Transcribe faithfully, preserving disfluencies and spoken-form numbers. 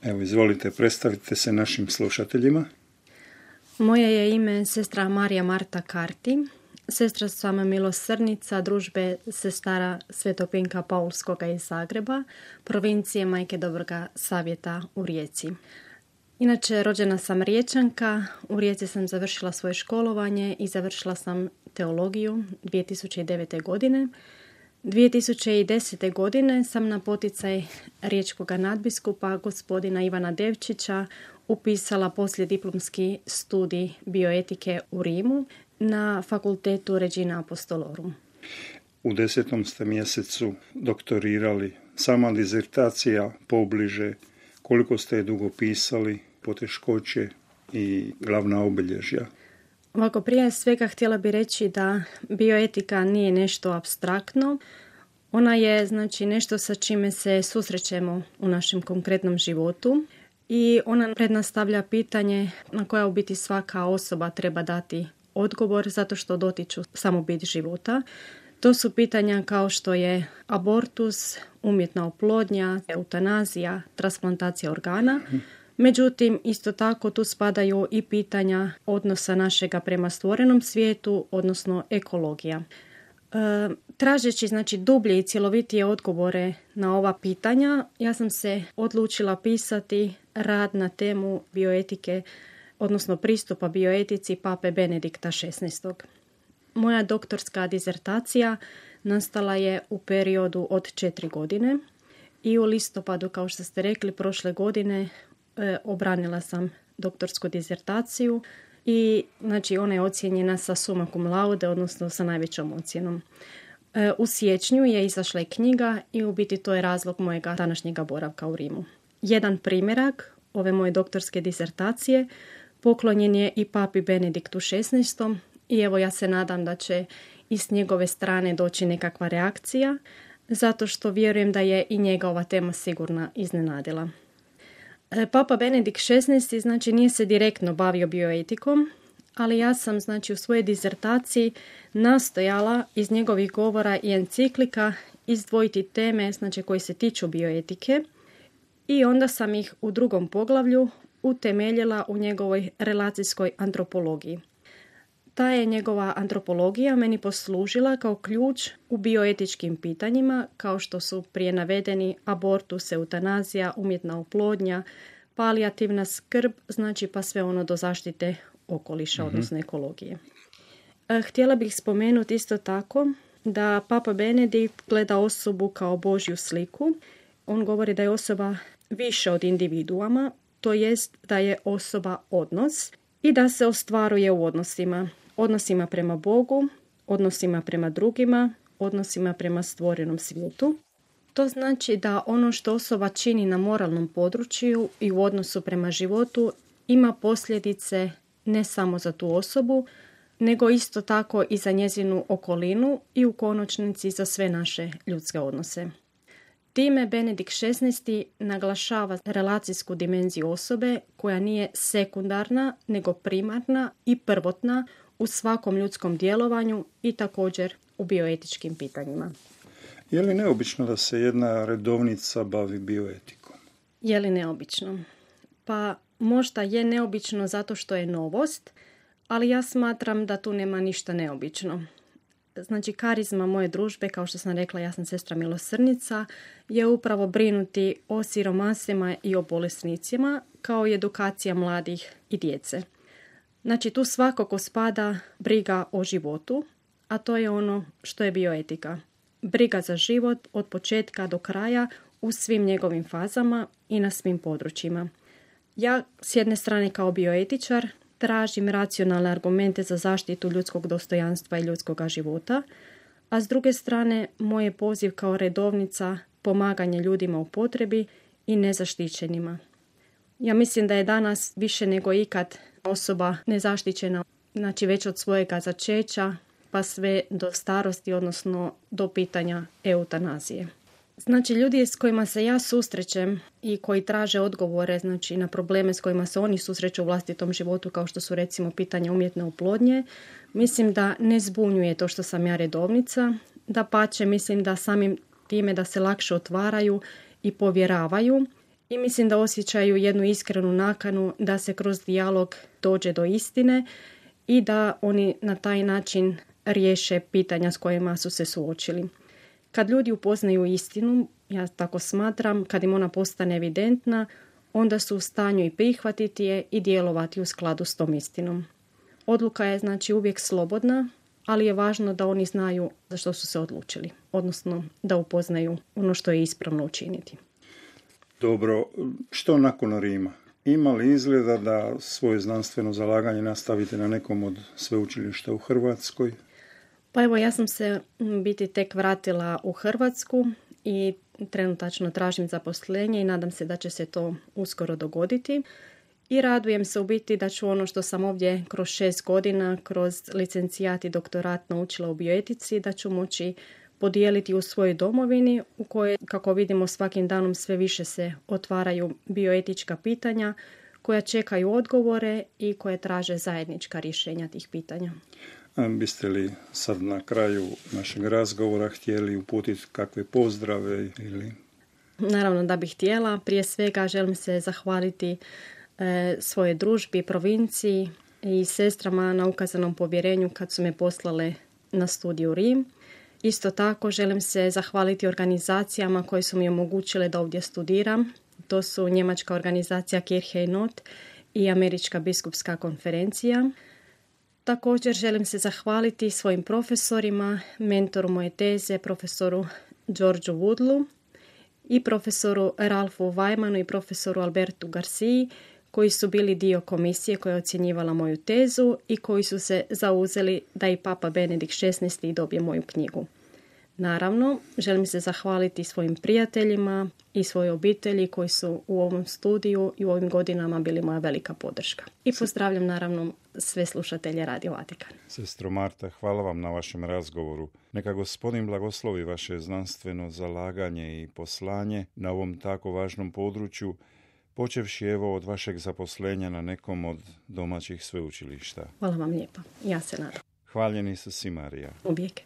Evo, izvolite, predstavite se našim slušateljima. Moje je ime sestra Marija Marta Karti. Sestra sam milosrdnica družbe sestara Svetopinka Paulskoga iz Zagreba, provincije Majke Dobroga Savjeta u Rijeci. Inače, rođena sam Riječanka, u Rijeci sam završila svoje školovanje i završila sam teologiju dvije tisuće devete. godine. dvije tisuće desete. godine sam na poticaj riječkog nadbiskupa gospodina Ivana Devčića upisala poslijediplomski studij bioetike u Rimu na fakultetu Regina Apostolorum. U desetom ste mjesecu doktorirali. Sama dizertacija pobliže, koliko ste je dugo pisali, poteškoće i glavna obilježja? Ovako, prije svega htjela bi reći da bioetika nije nešto apstraktno. Ona je, znači, nešto sa čime se susrećemo u našem konkretnom životu i ona prednastavlja pitanje na koja u biti svaka osoba treba dati odgovor zato što dotiču samo bit života. To su pitanja kao što je abortus, umjetna oplodnja, eutanazija, transplantacija organa. Međutim, isto tako tu spadaju i pitanja odnosa našega prema stvorenom svijetu, odnosno ekologija. E, tražeći, znači, dublje i cjelovitije odgovore na ova pitanja, ja sam se odlučila pisati rad na temu bioetike, odnosno pristupa bioetici Pape Benedikta šesnaestog. Moja doktorska dizertacija nastala je u periodu od četiri godine i u listopadu, kao što ste rekli, prošle godine e, obranila sam doktorsku dizertaciju i, znači, ona je ocijenjena sa summa cum laude, odnosno sa najvećom ocjenom. E, u siječnju je izašla i knjiga i u biti to je razlog mojega današnjega boravka u Rimu. Jedan primjerak ove moje doktorske dizertacije poklonjen je i Papi Benediktu šesnaestom. I evo, ja se nadam da će i s njegove strane doći nekakva reakcija, zato što vjerujem da je i njega ova tema sigurno iznenadila. Papa Benedikt šesnaesti, znači, nije se direktno bavio bioetikom, ali ja sam, znači, u svojoj dizertaciji nastojala iz njegovih govora i enciklika izdvojiti teme, znači, koje se tiču bioetike i onda sam ih u drugom poglavlju utemeljila u njegovoj relacijskoj antropologiji. Ta je njegova antropologija meni poslužila kao ključ u bioetičkim pitanjima, kao što su prije navedeni abortus, eutanazija, umjetna oplodnja, palijativna skrb, znači pa sve ono do zaštite okoliša, mm-hmm. odnosno ekologije. Htjela bih spomenuti isto tako da Papa Benedikt gleda osobu kao Božju sliku. On govori da je osoba više od individuama, to jest da je osoba odnos i da se ostvaruje u odnosima. Odnosima prema Bogu, odnosima prema drugima, odnosima prema stvorenom svijetu. To znači da ono što osoba čini na moralnom području i u odnosu prema životu ima posljedice ne samo za tu osobu, nego isto tako i za njezinu okolinu i u konačnici za sve naše ljudske odnose. Time Benedikt šesnaesti naglašava relacijsku dimenziju osobe koja nije sekundarna, nego primarna i prvotna u svakom ljudskom djelovanju i također u bioetičkim pitanjima. Je li neobično da se jedna redovnica bavi bioetikom? Je li neobično? Pa možda je neobično zato što je novost, ali ja smatram da tu nema ništa neobično. Znači, karizma moje družbe, kao što sam rekla, ja sam sestra milosrdnica, je upravo brinuti o siromasima i o bolesnicima, kao i edukacija mladih i djece. Znači, tu svakako spada briga o životu, a to je ono što je bioetika. Briga za život od početka do kraja u svim njegovim fazama i na svim područjima. Ja, s jedne strane kao bioetičar, tražim racionalne argumente za zaštitu ljudskog dostojanstva i ljudskog života, a s druge strane moj je poziv kao redovnica pomaganje ljudima u potrebi i nezaštićenima. Ja mislim da je danas više nego ikad osoba nezaštićena, znači već od svojega začeća pa sve do starosti, odnosno do pitanja eutanazije. Znači, ljudi s kojima se ja susrećem i koji traže odgovore, znači, na probleme s kojima se oni susreću u vlastitom životu, kao što su recimo pitanja umjetne oplodnje, mislim da ne zbunjuje to što sam ja redovnica, dapače mislim da samim time da se lakše otvaraju i povjeravaju i mislim da osjećaju jednu iskrenu nakanu da se kroz dijalog dođe do istine i da oni na taj način riješe pitanja s kojima su se suočili. Kad ljudi upoznaju istinu, ja tako smatram, kad im ona postane evidentna, onda su u stanju i prihvatiti je i djelovati u skladu s tom istinom. Odluka je znači uvijek slobodna, ali je važno da oni znaju za što su se odlučili, odnosno da upoznaju ono što je ispravno učiniti. Dobro, što nakon Rima? Ima li izgleda da svoje znanstveno zalaganje nastavite na nekom od sveučilišta u Hrvatskoj? Pa evo, ja sam se biti tek vratila u Hrvatsku i trenutačno tražim zaposlenje i nadam se da će se to uskoro dogoditi. I radujem se u biti da ću ono što sam ovdje kroz šest godina, kroz licencijat i doktorat naučila u bioetici, da ću moći podijeliti u svojoj domovini u kojoj, kako vidimo, svakim danom sve više se otvaraju bioetička pitanja koja čekaju odgovore i koje traže zajednička rješenja tih pitanja. A biste li sad na kraju našeg razgovora htjeli uputiti kakve pozdrave ili... Naravno da bih htjela. Prije svega želim se zahvaliti e, svoje družbi, provinciji i sestrama na ukazanom povjerenju kad su me poslale na studij u Rim. Isto tako želim se zahvaliti organizacijama koje su mi omogućile da ovdje studiram. To su njemačka organizacija Kirche Not i Američka biskupska konferencija. Također želim se zahvaliti svojim profesorima, mentoru moje teze, profesoru Georgeu Woodlu i profesoru Ralfu Weimanu i profesoru Albertu Garciji, koji su bili dio komisije koja je ocjenjivala moju tezu i koji su se zauzeli da i Papa Benedikt šesnaesti dobije moju knjigu. Naravno, želim se zahvaliti svojim prijateljima i svojoj obitelji koji su u ovom studiju i u ovim godinama bili moja velika podrška. I pozdravljam naravno sve slušatelje Radio Vatikan. Sestro Marta, hvala vam na vašem razgovoru. Neka Gospodin blagoslovi vaše znanstveno zalaganje i poslanje na ovom tako važnom području, počevši evo od vašeg zaposlenja na nekom od domaćih sveučilišta. Hvala vam lijepa. Ja se nadam. Hvaljeni su si, Marija. Uvijek.